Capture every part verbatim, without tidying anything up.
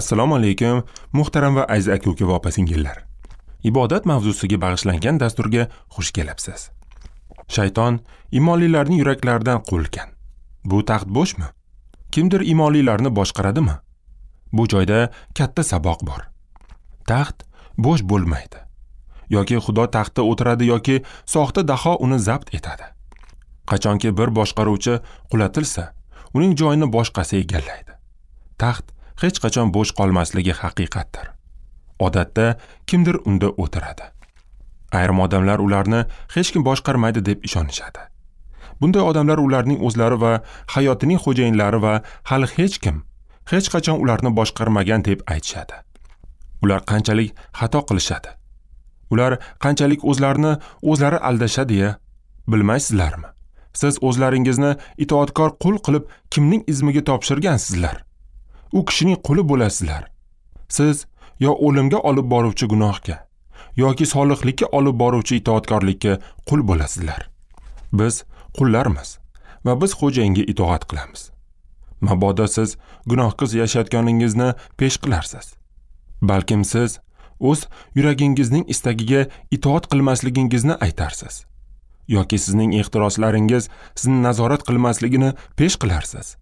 Assalomu alaykum, muhtaram va aziz aka-uka va opa-singillar. Ibodat mavzusiga bag'ishlangan dasturga xush kelibsiz. Shayton imonlilarning yuraklaridan quvilgan. Bu taxt bo'shmi? Kimdir imonlilarni boshqaradimi? Bu joyda katta saboq bor. Taxt bo'sh bo'lmaydi. Yoki Xudo taxtda o'tiradi yoki soxta daho uni zabt etadi. Qachonki bir boshqaruvchi qulatilsa, uning joyini boshqasi egallaydi. Taxt hech qachon bo'sh qolmasligi haqiqatdir. Odatda kimdir unda o'tiradi. Ayrim odamlar ularni hech kim boshqarmaydi deb ishonishadi. Bunday odamlar ularning o'zlari va hayotining xo'jayinlari va hali hech kim hech qachon ularni boshqarmagan deb aytishadi. Ular qanchalik xato qilishadi? Ular qanchalik o'zlarini o'zlari aldashadi-ya? Bilmaysizlarmi? Siz o'zlaringizni itoatkor qul qilib kimning izmiga topshirgansizlar? U kishining quli bo'lasizlar. Siz yo o'limga olib boruvchi gunohga yoki solihlikka olib boruvchi itoatkorlikka qul bo'lasizlar. Biz qullarmiz va biz xo'jayinga itoat qilamiz. Mabodo siz gunohsiz yashayotganingizni pesh qilarsiz. Balkim siz o'z yuragingizning istagiga itoat qilmasligingizni aytarsiz. Yoki sizning ehtiroslaringiz sizni nazorat qilmasligini pesh qilarsiz.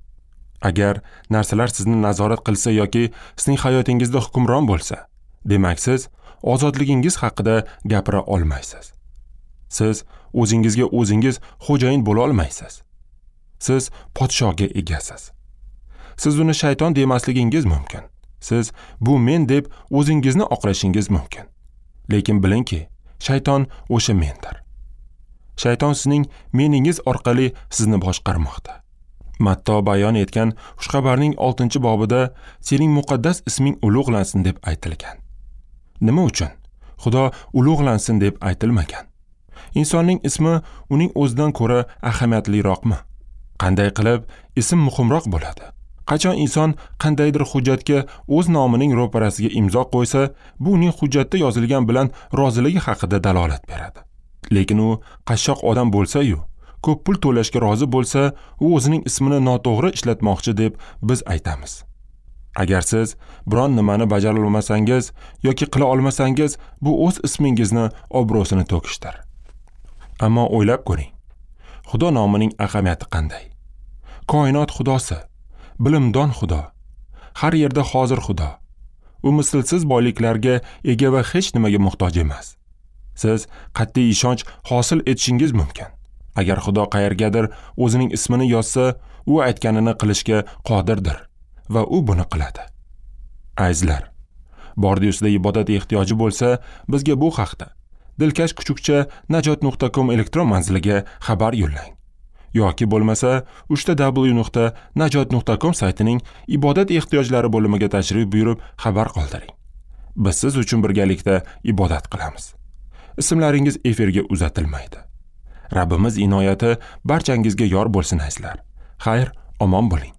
Agar narsalar sizni nazorat qilsa yoki sizning hayotingizda hukmron bo'lsa, demak siz ozodligingiz haqida gapira olmaysiz. Siz o'zingizga o'zingiz xo'jayin bo'la olmaysiz. Siz podshoga egasiz. Siz uni shayton demasligingiz mumkin. Siz bu men deb o'zingizni oqlashingiz mumkin. Lekin bilingki, shayton o'sha mendir. Shayton sizning meningiz orqali sizni boshqarmoqda. Matto bayon etgan xushxabarning oltinchi bobida sening muqaddas isming ulug'lansin deb aytilgan. Nima uchun? Xudo ulug'lansin deb aytilmagan. Insonning ismi uning o'zidan ko'ra ahamiyatliroqmi? Qanday qilib ism muhimroq bo'ladi? Qachon inson qandaydir hujjatga o'z nomining ro'parasiga imzo qo'ysa, bu uning hujjatda yozilgan bilan roziligi haqida dalolat beradi. Lekin u qashshoq odam bo'lsa-yu, ko'p pul to'lashga rozi bo'lsa, u o'zining ismini noto'g'ri ishlatmoqchi deb biz aytamiz. Agar siz biron nimani bajara olmasangiz yoki qila olmasangiz, bu o'z ismingizni obro'sini to'kishdir. Ammo o'ylab ko'ring. Xudo nomining ahamiyati qanday? Koinot xudosi, bilimdon Xudo, har yerda hozir Xudo. U mislsiz boyliklarga ega va hech nimaga muhtoj emas. Siz qat'iy ishonch hosil etishingiz mumkin. Agar Xudo qayergadir o'zining ismini yozsa, u aytganini qilishga qodirdir va u buni qiladi. Azizlar, bordi-ustida ibodat ehtiyoji bo'lsa, bizga bu haqda dilkash kuchukcha najot nuqta com elektron manziliga xabar yo'llang. Yoki bo'lmasa uchta w nuqta najot nuqta com saytining ibodat ehtiyojlari bo'limiga tashrif buyurib xabar qoldiring. Biz siz uchun birgalikda ibodat qilamiz. Ismlaringiz efirga uzatilmaydi. Rabbimiz inoyati barchangizga yor bo'lsin azizlar. Xayr, omon bo'ling.